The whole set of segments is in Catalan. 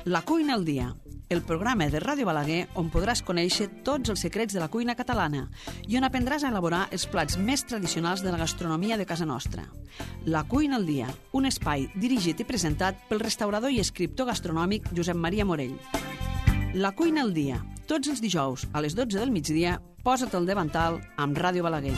La cuina al dia, el programa de Ràdio Balaguer on podràs conèixer tots els secrets de la cuina catalana i on aprendràs a elaborar els plats més tradicionals de la gastronomia de casa nostra. La cuina al dia, un espai dirigit i presentat pel restaurador i escriptor gastronòmic Josep Maria Morell. La cuina al dia, tots els dijous a les 12 del migdia, posa't al davantal amb Ràdio Balaguer.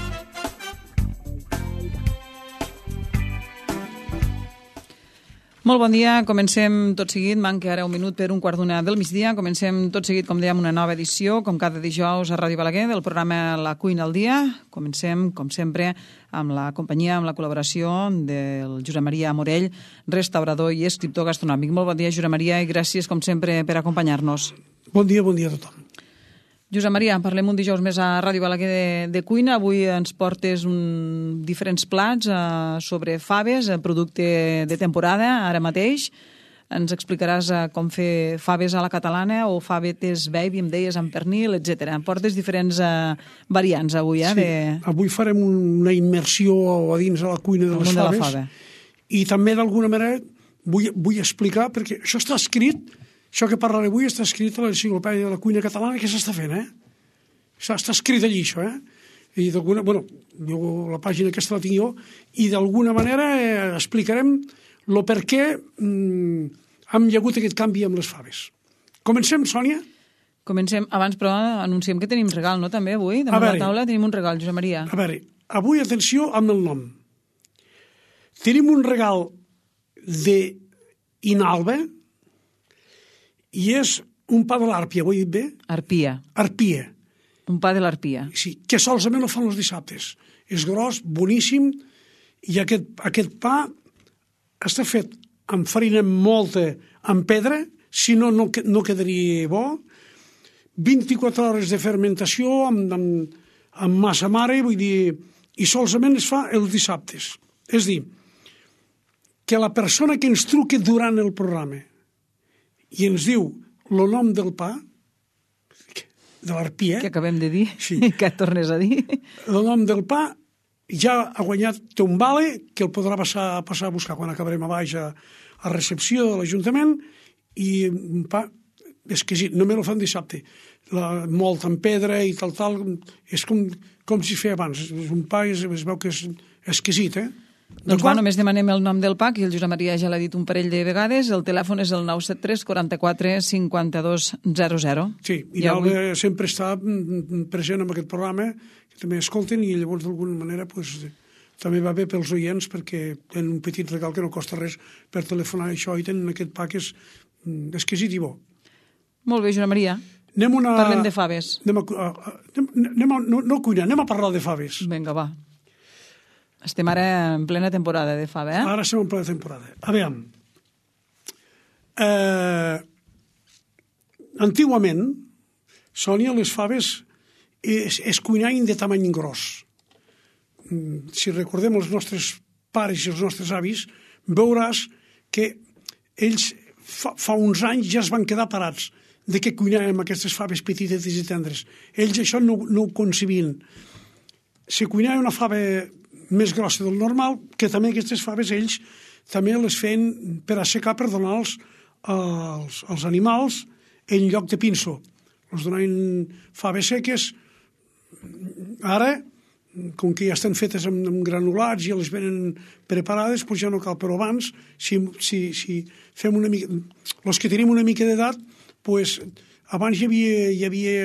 Molt bon dia, comencem tot seguit, manca ara un minut per un quart d'una del migdia, comencem tot seguit, com dèiem, una nova edició, com cada dijous a Ràdio Balaguer, del programa La cuina al dia. Comencem, com sempre, amb la companyia, amb la col·laboració del Josep Maria Morell, restaurador i escriptor gastronòmic. Molt bon dia, Josep Maria, i gràcies, com sempre, per acompanyar-nos. Bon dia a tothom. Josep Maria, parlem un dijous més a Ràdio Balaguer de cuina. Avui ens portes diferents plats sobre faves, producte de temporada, ara mateix. Ens explicaràs com fer faves a la catalana o favetes baby, em deies, amb pernil, etc. Portes diferents variants avui. Sí, avui farem una immersió a dins de la cuina de les faves. I també, d'alguna manera, vull explicar, perquè això està escrit. Això que parlaré avui està escrit a l'enciclopèdia de la cuina catalana, que s'està fent, Està escrit allí, això, I d'alguna... Bueno, la pàgina aquesta la tinc jo, i d'alguna manera explicarem el per què hem hi hagut aquest canvi amb les faves. Comencem, Sònia? Comencem. Abans, però, anunciem que tenim regal, no?, també, avui? Damunt la taula tenim un regal, Josep Maria. A veure, avui, atenció amb el nom. Tenim un regal d'Inalba, i és un pa de l'Àrpia, ho he dit bé? Arpia. Arpia. Un pa de l'Arpia. Sí, que solament ho fan els dissabtes. És gros, boníssim, i aquest pa està fet amb farina molta, amb pedra, si no, no quedaria bo. 24 hores de fermentació amb massa mare, vull dir, i solament es fa els dissabtes. És dir, que la persona que ens truqui durant el programa i ens diu el nom del pa, de l'Arpia... Que acabem de dir, sí. Que tornes a dir. El nom del pa ja ha guanyat, té un vale, que el podrà passar a buscar quan acabarem a baix a recepció de l'Ajuntament, i un pa exquisit, només el fan dissabte. Molt en pedra i tal, és com si feia abans. És un pa, es veu que és exquisit, Doncs només demanem el nom del pa, que el Josep Maria ja l'ha dit un parell de vegades. El telèfon és el 973 44 52 00. Sí, i Alba sempre està present en aquest programa, que també escolten, i llavors d'alguna manera també va bé pels oients, perquè tenen un petit regal que no costa res per telefonar això, i tenen aquest pa que és exquisit i bo. Molt bé, Josep Maria. Parlem de faves. No cuinar, anem a parlar de faves. Vinga, va. Estem ara en plena temporada de fava, Ara estem en plena temporada. A veure, antigament, Sònia, les faves es cuinaven de tamany gros. Si recordem els nostres pares i els nostres avis, veuràs que ells fa uns anys ja es van quedar parats de que cuinàvem aquestes faves petites i tendres. Ells això no ho concebien. Si cuinava una fava més grossa del normal, que també aquestes faves ells també les feien per assecar, per donar-los als animals en lloc de pinso. Els donaven faves seques. Ara, com que ja estan fetes amb granulats i les venen preparades, doncs ja no cal. Però abans, si fem una mica... Els que tenim una mica d'edat, doncs abans hi havia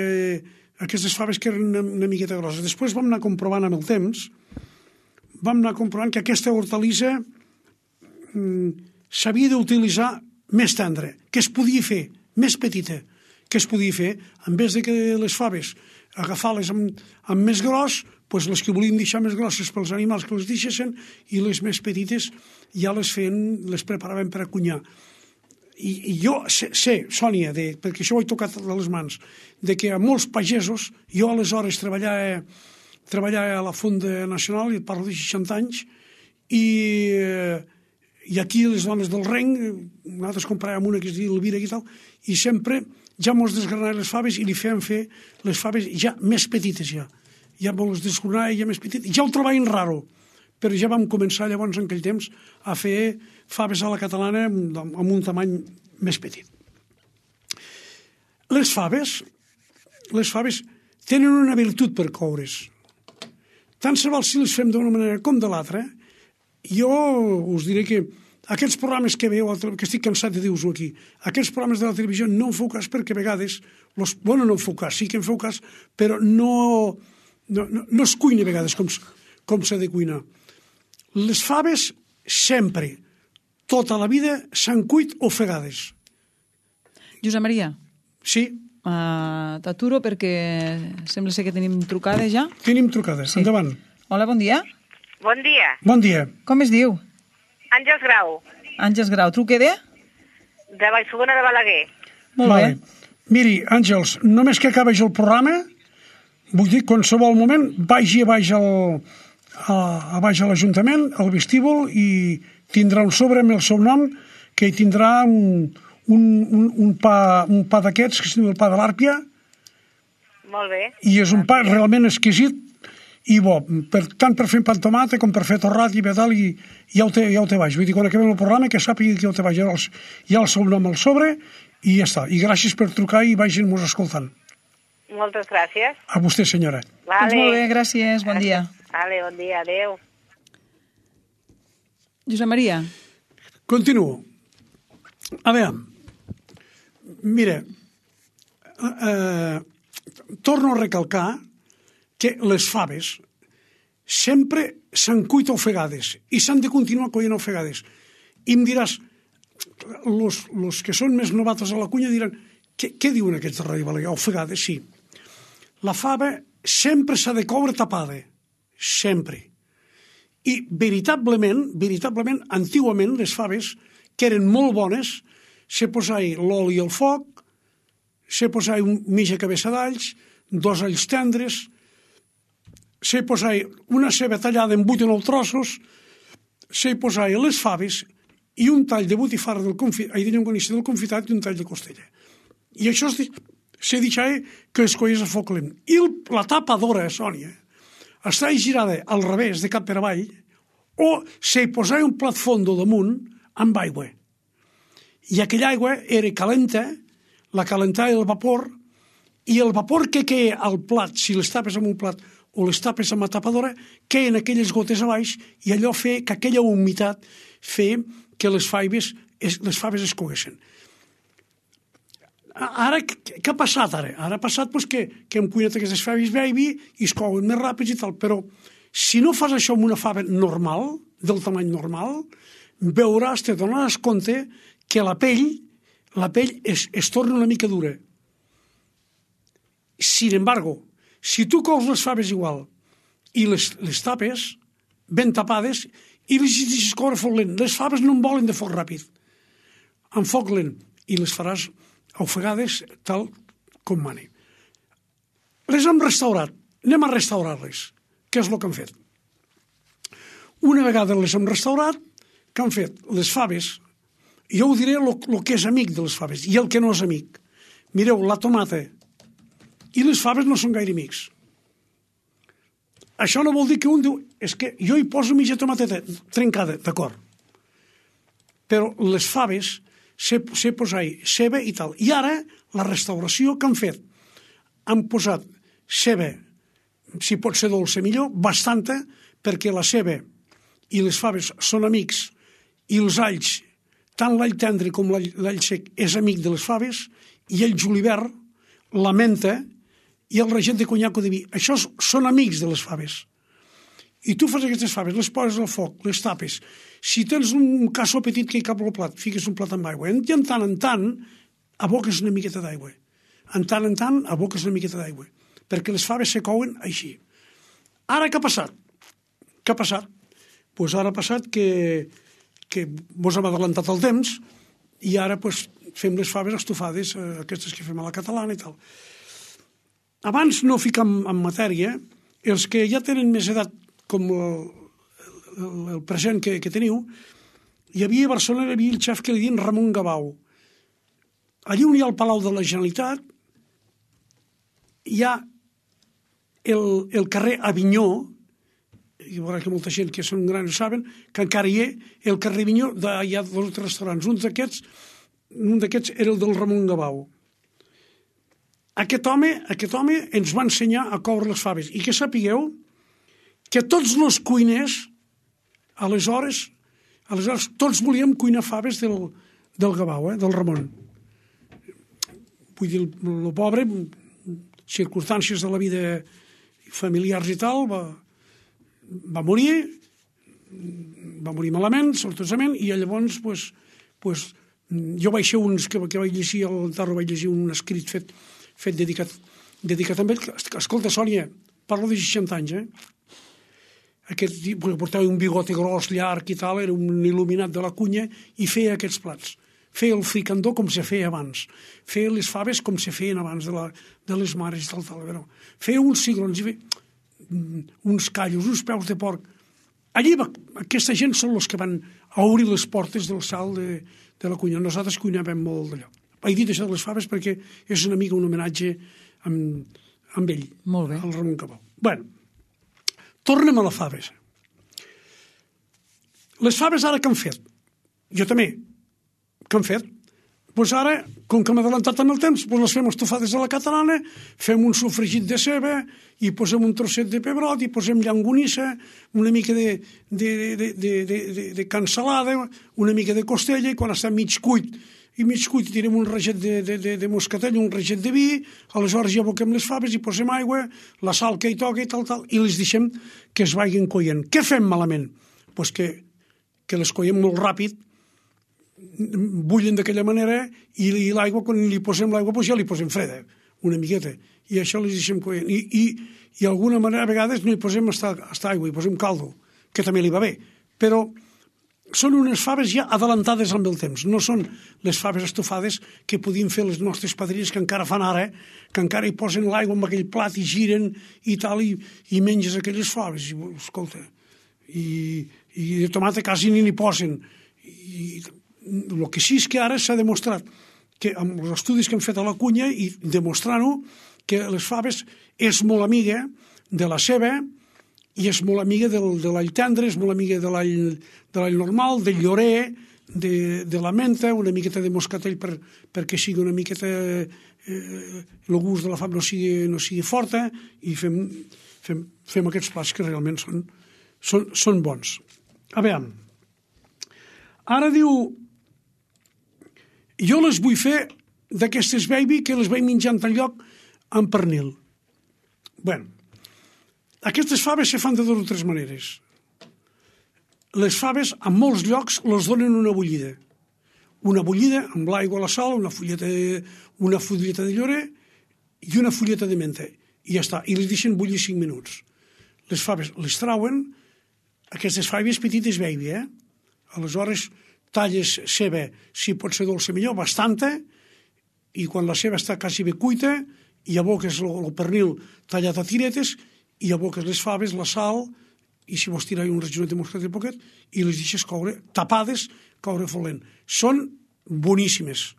aquestes faves que eren una miqueta grosses. Després vam anar comprovant amb el temps, que aquesta hortalissa s'havia d'utilitzar més tendra, que es podia fer més petita, que es podia fer, en vez de que les faves agafar-les amb més gros, doncs les que volien deixar més grosses pels animals que les deixessin, i les més petites ja les preparaven per a cuinar. I jo sé, Sònia, perquè això ho he tocat a les mans, de que a molts pagesos, jo aleshores treballava a la Fonda Nacional, i parlo de 60 anys, i aquí les dones del Renc, nosaltres compràvem una que es diu Elvira i tal, i sempre ja mos desgranaven les faves i li fèiem fer les faves ja més petites ja mos les desgranaven ja més petites, ja ho trobaven raro, però ja vam començar llavors en aquell temps a fer faves a la catalana amb un tamany més petit. Les faves tenen una virtut per coure's. Tant se val si les fem d'una manera com de l'altra. Jo us diré que aquests programes que veieu, que estic cansat de dir-vos-ho aquí, aquests programes de la televisió no en feu cas perquè a vegades, no en feu cas, sí que en feu cas, però no es cuina a vegades com s'ha de cuinar. Les faves sempre, tota la vida, s'han cuit ofegades. Josep Maria. Sí. T'aturo perquè sembla ser que tenim trucades ja. Tenim trucades, sí. Endavant. Hola, bon dia. Bon dia. Bon dia. Com es diu? Àngels Grau. Àngels Grau. Truque de? De Vallfogona de Balaguer. Molt bé. Miri, Àngels, només que acabeix el programa, vull dir, qualsevol moment, vagi a baix a l'Ajuntament, al vestíbul, i tindrà un sobre amb el seu nom, que hi tindrà un pa d'aquests, que es diu el pa de l'Àrpia. Molt bé. I és un pa realment exquisit i bo, tant per fer pa amb tomata com per fer torrat i tal, i ja ho té baix. Vull dir, quan acabem el programa, que sàpiga que ja ho té baix. Hi ha el seu nom al sobre i ja està. I gràcies per trucar i vagin-nos escoltant. Moltes gràcies. A vostè, senyora. Vale. Doncs molt bé, gràcies. Bon dia. Vale, bon dia. Adéu. Josep Maria. Continuo. A veure, mira, torno a recalcar que les faves sempre s'han cuit ofegades i s'han de continuar coient ofegades. I em diràs, los que són més novatos a la cuina diran, què diuen aquests de Ràdio Balaguer? Ofegades, sí. La fava sempre s'ha de coure tapada, sempre. I veritablement, antigament, les faves, que eren molt bones, se posava l'oli al foc, se posava mitja cabeça d'alls, 2 alls tendres, se posava una ceba tallada en 8 o 9 trossos, se posava les faves i un tall de botifarra de llonganissa del confitat i un tall de costella. I això se deixava que es coies a foc lent. I la tapadora, Sònia, estava girada al revés, de cap per avall, o se posava un plat fondo damunt amb aigua. I aquella aigua era calenta, la calentava el vapor, i el vapor que queia al plat, si les tapes amb un plat o les tapes amb la tapadora, queien aquelles gotes a baix, i allò feia que aquella humitat feia que les faves es coguessin. Ara, què ha passat ara? Ara ha passat que hem cuinat aquestes faves baby i es couen més ràpids i tal, però si no fas això amb una fava normal, del tamany normal, veuràs, te donaràs compte que la pell es torna una mica dura. Sin embargo, si tu cous les faves igual i les tapes ben tapades i les deixes coure a foc lent, les faves no en volen de foc ràpid, amb foc lent, i les faràs ofegades tal com mani. Les hem restaurat, anem a restaurar-les. Què és el que han fet? Una vegada les hem restaurat, què han fet? Les faves, jo ho diré el que és amic de les faves i el que no és amic. Mireu, la tomata i les faves no són gaire amics. Això no vol dir que un diu, és que jo hi poso mitja tomateta trencada, d'acord. Però les faves se posava ceba i tal. I ara, la restauració que han fet, han posat ceba, si pot ser dolça millor, bastanta, perquè la ceba i les faves són amics, i els alls, tant l'all tendre com l'all sec, és amic de les faves, i el julivert, la menta i el regent de conyac o de vi. Això són amics de les faves. I tu fas aquestes faves, les poses al foc, les tapes. Si tens un cassó petit que hi cap al plat, fiques un plat amb aigua. I en tant, aboques una miqueta d'aigua. En tant, aboques una miqueta d'aigua. Perquè les faves se couen així. Ara què ha passat? Què ha passat? Doncs ara ha passat que mos hem adelantat el temps i ara fem les faves estofades, aquestes que fem a la catalana i tal. Abans no ficam en matèria, els que ja tenen més edat com el present que teniu, hi havia a Barcelona el xef que li diuen Ramon Gabau. Allí on hi ha el Palau de la Generalitat hi ha el carrer Avinyó, i veurà que molta gent que són grans ho saben, que encara hi ha el carrer Avinyó, hi ha dos restaurants. Un d'aquests era el del Ramon Gabau. aquest home ens va ensenyar a coure les faves. I que sapigueu que tots els cuiners, aleshores tots volíem cuinar faves del Gavau, del Ramon. Vull dir, el pobre, circumstàncies de la vida familiars i tal, va morir malament, sortosament, i llavors jo vaig ser uns que vaig llegir al Tarro, vaig llegir un escrit fet dedicat a ell. Escolta, Sònia, parlo de 60 anys, aquest portava un bigote gros, llarg i tal, era un il·luminat de la cunya i feia aquests plats. Feia el fricandó com se feia abans. Feia les faves com se feien abans de les mares i tal. Feia uns cigrons, uns callos, uns peus de porc. Allí aquesta gent són els que van obrir les portes del salt de la cuina. Nosaltres cuinàvem molt d'allò. He dit això de les faves perquè és una mica un homenatge amb ell, molt bé, al Ramon Cabau. Bueno, tornem a les faves. Les faves ara què han fet? Jo també. Què han fet? Doncs ara, com que hem adelantat en el temps, les fem estofades a la catalana, fem un sofregit de ceba i posem un trosset de pebrot i posem llangonissa, una mica de cansalada, una mica de costella, i quan està mig cuit tirem un raget de moscatell, un raget de vi, aleshores ja aboquem les faves i posem aigua, la sal que hi toca i tal, i les deixem que es vagin coient. Què fem malament? Doncs que les coiem molt ràpid, bullen d'aquella manera, i l'aigua, quan li posem l'aigua, doncs ja li posem freda, una miqueta, i això les deixem coient. I d'alguna manera, a vegades, no hi posem hasta aigua, hi posem caldo, que també li va bé, però són unes faves ja adelantades amb el temps, no són les faves estofades que podien fer les nostres padrines que encara fan ara, que encara hi posen l'aigua en aquell plat i giren i tal, i menges aquelles faves, i escolta, i de tomata quasi ni posen. I el que sí és que ara s'ha demostrat que amb els estudis que han fet a la cunya i demostrant-ho, que les faves és molt amiga de la ceba i és molt amiga de l'all tendre, és molt amiga de l'all normal, del llorer, de la menta, una miqueta de moscatell perquè sigui una miqueta el gust de la fava no sigui forta, i fem aquests plats que realment són bons. A veure, ara diu, jo les vull fer d'aquestes baby que les vaig menjant al lloc amb pernil. Bueno, aquestes faves se fan de 2 o 3 maneres. Les faves, en molts llocs, les donen una bullida. Una bullida amb l'aigua, la sal, una fulleta de llorer i una fulleta de menta. I ja està. I les deixen bullir 5 minuts. Les faves les trauen, aquestes faves petites baby, Aleshores, talles ceba, si pot ser dolça millor, bastanta, i quan la ceba està quasi bé cuita, i aboques el pernil tallat a tiretes, i aboques les faves, la sal, i si vols tirar un rajonet de moscat de poquet, i les deixes coure, tapades, coure folent. Són boníssimes.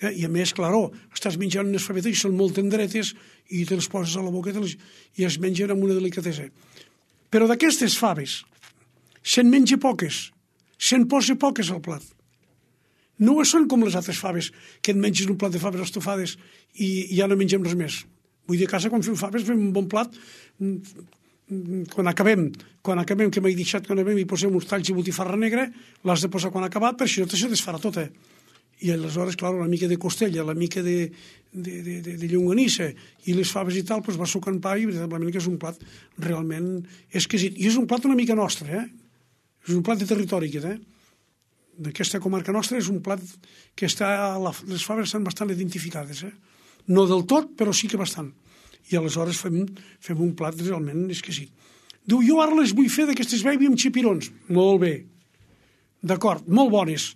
I a més, claró, estàs menjant unes favetes i són molt tendretes, i te les poses a la boca i es mengen amb una delicatesa. Però d'aquestes faves, se'n menja poques, se'n posa poques al plat. No són com les altres faves, que et menges un plat de faves estofades i ja no mengem res més. Vull dir, a casa, quan fem faves, fem un bon plat. Quan acabem, que m'he deixat, quan acabem i posem uns talls de botifarra negra, l'has de posar quan ha acabat, perquè això se desfarà tota. I aleshores, clar, una mica de costella, la mica de llonganissa i les faves i tal, doncs va sucant pa i veritablement que és un plat realment exquisit. I és un plat una mica nostre, És un plat de territori, aquest, D'aquesta comarca nostra és un plat que les faves estan bastant identificades, No del tot, però sí que bastant. I aleshores fem un plat realment exquisit. Diu, jo ara les vull fer d'aquestes baby amb xipirons. Molt bé. D'acord, molt bones.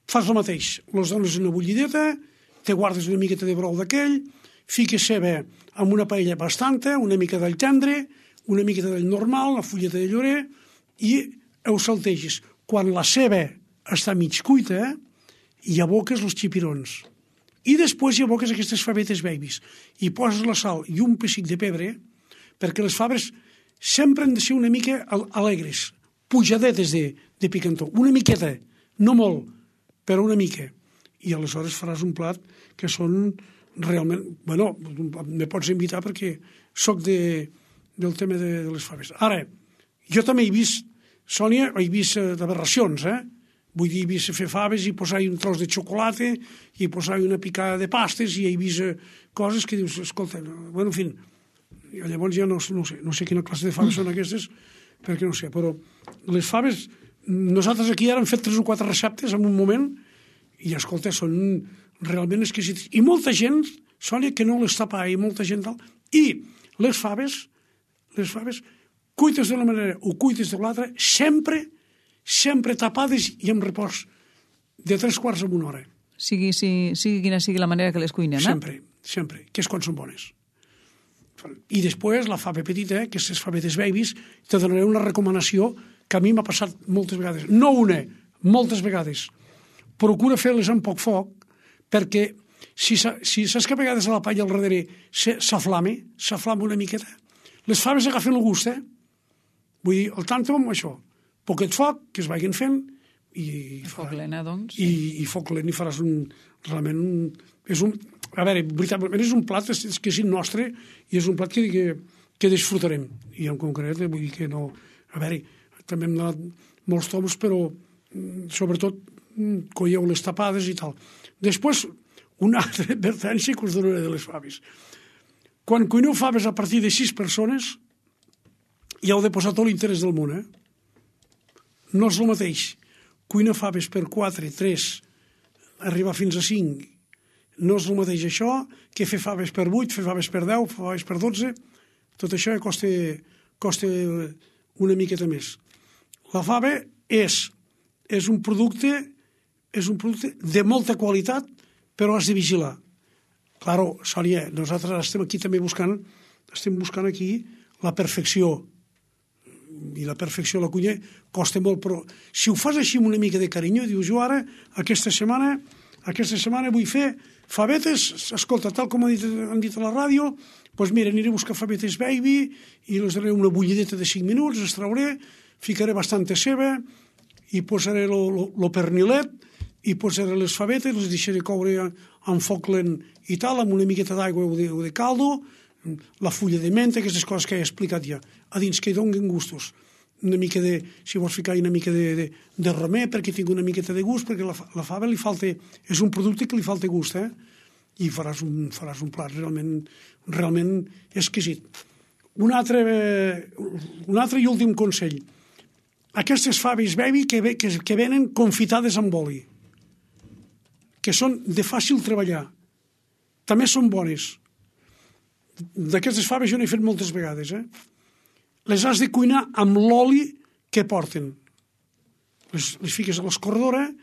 Fas el mateix. Les dones una bullideta, te guardes una miqueta de brou d'aquell, fiques ceba amb una paella bastanta, una mica d'all tendre, una miqueta d'all normal, una fulleta de llorer, i ho salteges. Quan la ceba està mig cuita, hi aboques els xipirons. I després hi aboques aquestes favetes babies. I poses la sal i un pessic de pebre, perquè les faves sempre han de ser una mica alegres, pujadetes de picantó. Una miqueta, no molt, però una mica. I aleshores faràs un plat que són realment, bueno, me pots invitar perquè soc del tema de les faves. Ara, jo també he vist, Sònia, he vist aberracions, Vull dir, he vist fer faves i posar-hi un tros de xocolata i posar-hi una picada de pastes i he vist coses que dius, escolta, bueno, en fi, llavors ja no sé quina classe de faves són aquestes, perquè no sé, però les faves, nosaltres aquí ara hem fet 3 o 4 receptes en un moment i, escolta, són realment exquisites. I molta gent, Sònia, que no les tapa i molta gent tal. I les faves, cuites d'una manera o cuites de l'altra, sempre tapades i amb repòs de 3/4 a 1 hora. Sigui quina sigui la manera que les cuinem, Sempre, que és quan són bones. I després la fava petita, que és les favetes babies, te donaré una recomanació que a mi m'ha passat moltes vegades. No una, moltes vegades. Procura fer-les amb poc foc, perquè si saps que a vegades a la palla al darrere s'aflama una miqueta, les faves agafen el gust, Vull dir, el tanto amb això. Poquet foc, que es vagin fent, i foc lent, doncs. I foc lent, i faràs a veure, veritablement és un plat que és nostre i és un plat que disfrutarem. I en concret, vull dir que no... A veure, també hem donat molts toms, però sobretot colleu les tapades i tal. Després, una altra advertència que us donaré de les faves. Quan cuineu faves a partir de 6 persones, ja heu de posar tot l'interès del món, No és el mateix cuinar faves per 4, 3, arribar fins a 5. No és el mateix això que fer faves per 8, fer faves per 10, fer faves per 12. Tot això ja costa una miqueta més. La fava és un producte de molta qualitat, però has de vigilar. Claro, Sònia, nosaltres estem aquí també buscant aquí la perfecció. I la perfecció a la cuina costa molt, però si ho fas així amb una mica de carinyo, dius, jo ara, aquesta setmana vull fer favetes, escolta, tal com han dit a la ràdio, doncs mira, aniré a buscar favetes baby i les daré una bullideta de 5 minuts, les trauré, ficaré bastanta ceba i posaré lo pernilet i posaré les favetes, les deixaré coure amb foc lent i tal, amb una miqueta d'aigua o de caldo, la fulla de menta, aquestes coses que he explicat ja, a dins que hi donin gustos. Una mica si vols ficar una mica de romer perquè tingui una miqueta de gust, perquè la fava és un producte que li falta gust, i faràs un plat realment exquisit. Un altre i últim consell. Aquestes faves baby que venen confitades amb oli, que són de fàcil treballar, també són bones. D'aquestes faves jo n'he fet moltes vegades, Les has de cuinar amb l'oli que porten. Les fiques a l'escorredora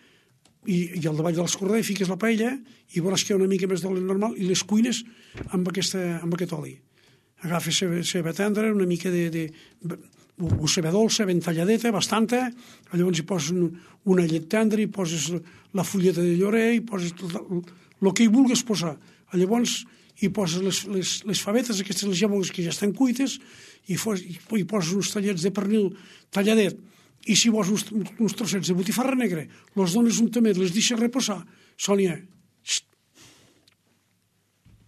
i al davall de l'escorredora hi fiques la paella i veuràs que hi ha una mica més d'oli normal i les cuines amb aquest oli. Agafes ceba tendra, una mica o ceba dolça, ben talladeta, bastanta, llavors hi poses una llet tendra, hi poses la fulleta de llorer, hi poses el que hi vulguis posar. Llavors hi poses les favetes, aquestes les llamogues que ja estan cuites, i poses uns tallets de pernil talladet, i si vols uns trossets de botifarra negra, els dones un tamet, les deixes reposar. Sònia,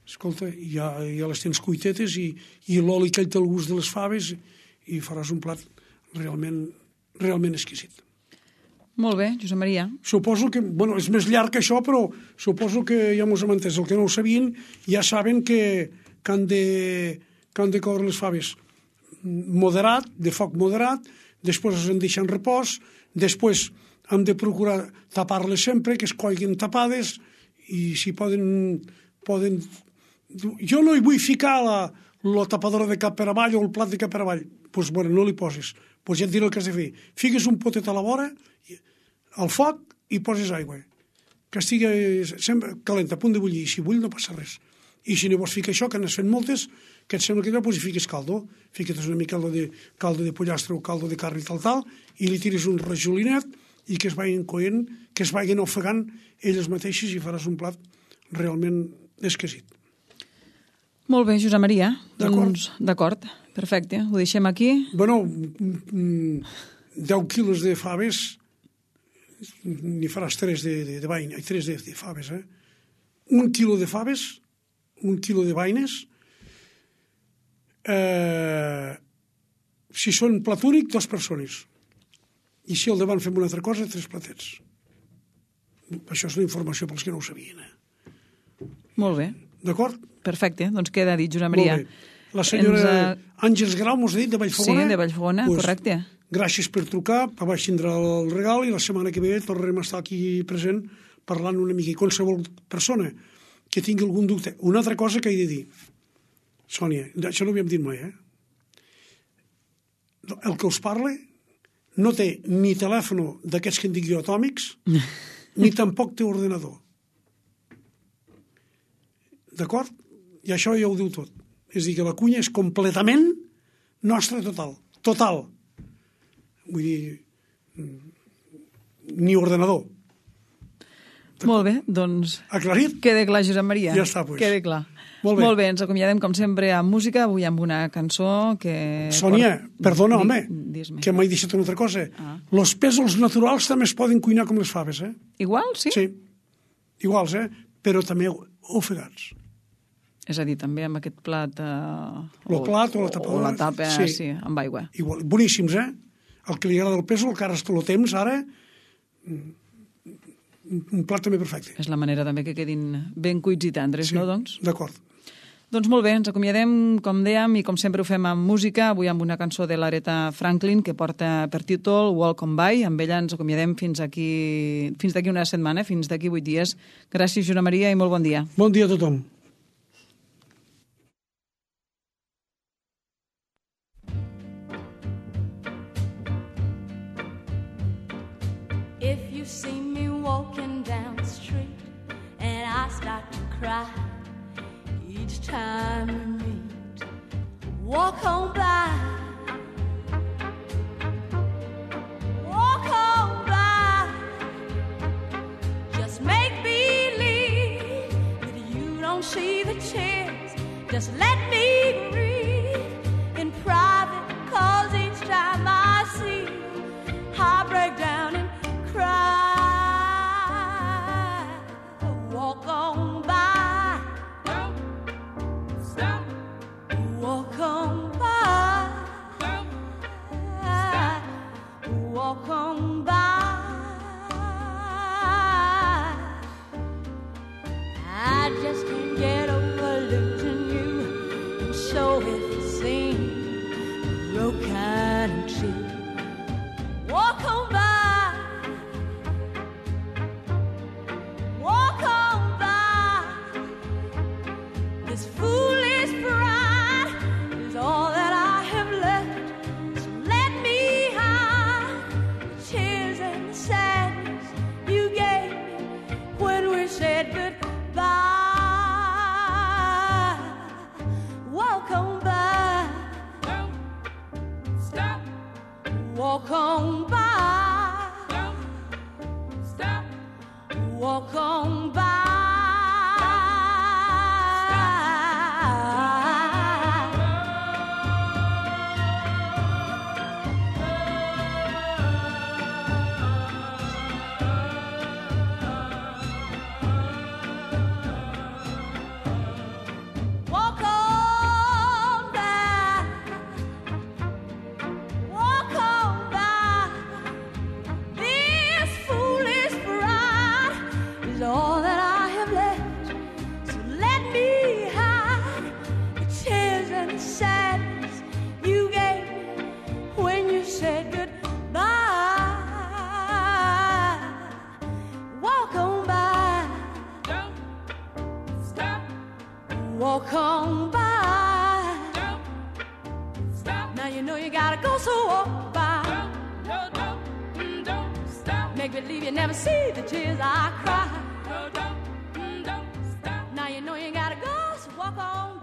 escolta, ja les tens cuitetes i l'oli que té el gust de les faves i faràs un plat realment exquisit. Molt bé, Josep Maria. Suposo que, és més llarg que això, però suposo que ja mos hem entès. El que no ho sabien ja saben que han de coure les faves moderat, de foc moderat, després es deixen repòs, després hem de procurar tapar-les sempre, que es coiguin tapades, i si poden... Jo no hi vull ficar la tapadora de cap per avall o el plat de cap per avall. Doncs, no li poses. Doncs ja et diré el que has de fer. Fiques un potet a la vora, al foc, i poses aigua. Que estigui sempre calenta, a punt de bullir. I si bull no passa res. I si no vols ficar això, que n'has fet moltes, que et sembla que doncs hi fiques caldo. Fiques una mica caldo de pollastre o caldo de carn i tal, i li tires un rajolinet i que es vagin coent, que es vagin ofegant elles mateixes i faràs un plat realment exquisit. Molt bé, Josep Maria. Doncs, d'acord, perfecte. Ho deixem aquí. 10 quilos de faves, n'hi faràs 3 de faves, 1 quilo de faves 1 quilo de vaines. Si són plat únic, 2 persones. I si al davant fem una altra cosa, 3 platets. Això és una informació pels que no ho sabien. Molt bé. D'acord? Perfecte, doncs queda dit, Josep Maria. Molt bé. La senyora Àngels Grau, mos ha dit, de Vallfogona. Sí, de Vallfogona, correcte. Gràcies per trucar, vaig tindre el regal i la setmana que ve tornarem a estar aquí present parlant una mica. I qualsevol persona que tingui algun dubte. Una altra cosa que he de dir, Sònia, això no ho havíem dit mai, el que us parla no té ni telèfon d'aquests que en dic jo atòmics, ni tampoc té ordenador. D'acord? I això ja ho diu tot. És a dir, que la cuina és completament nostra total. Total. Vull dir, ni ordenador. Molt bé, doncs... Aclarit? Queda clar, Josep Maria. Ja està, doncs. Queda clar. Molt bé. Ens acomiadem, com sempre, amb música, avui amb una cançó que... Sònia, perdona, home, que m'he deixat una altra cosa. Los pèsols naturals també es poden cuinar com les faves, Igual, sí? Sí, iguals, però també ofegats. És a dir, també amb aquest plat... El plat o la tapadora. O la tapa, sí, amb aigua. Igual, boníssims, El que li agrada el pèsol, que ara el temps, ara... Un plat també perfecte. És la manera també que quedin ben cuits i tendres, sí, no, doncs? D'acord. Doncs molt bé, ens acomiadem, com dèiem, i com sempre ho fem amb música, avui amb una cançó de l'Aretha Franklin que porta per títol Welcome By. Amb ella ens acomiadem fins d'aquí una setmana, fins d'aquí 8 dies. Gràcies, Josep Maria, i molt bon dia. Bon dia a tothom. If you see me walking down the street and I start to cry each time we meet, walk on by. Walk on by. Just make believe that you don't see the tears. Just let me breathe in private, 'cause each time I see you, I break down and cry. Walk on by. Don't stop. Walk on by. Don't stop. Walk on by. I just can't get over losing you, and so it seems broken and true. Walk on by. This foolish pride is all that I have left. So let me hide the tears and the sadness you gave me when we said goodbye. Walk on by. Don't stop. Walk on by. Don't stop. Walk on by. Walk on by. Don't stop. Now you know you gotta go, so walk by. Don't stop. Make believe you never see the tears I cry. Don't stop. Now you know you gotta go, so walk on.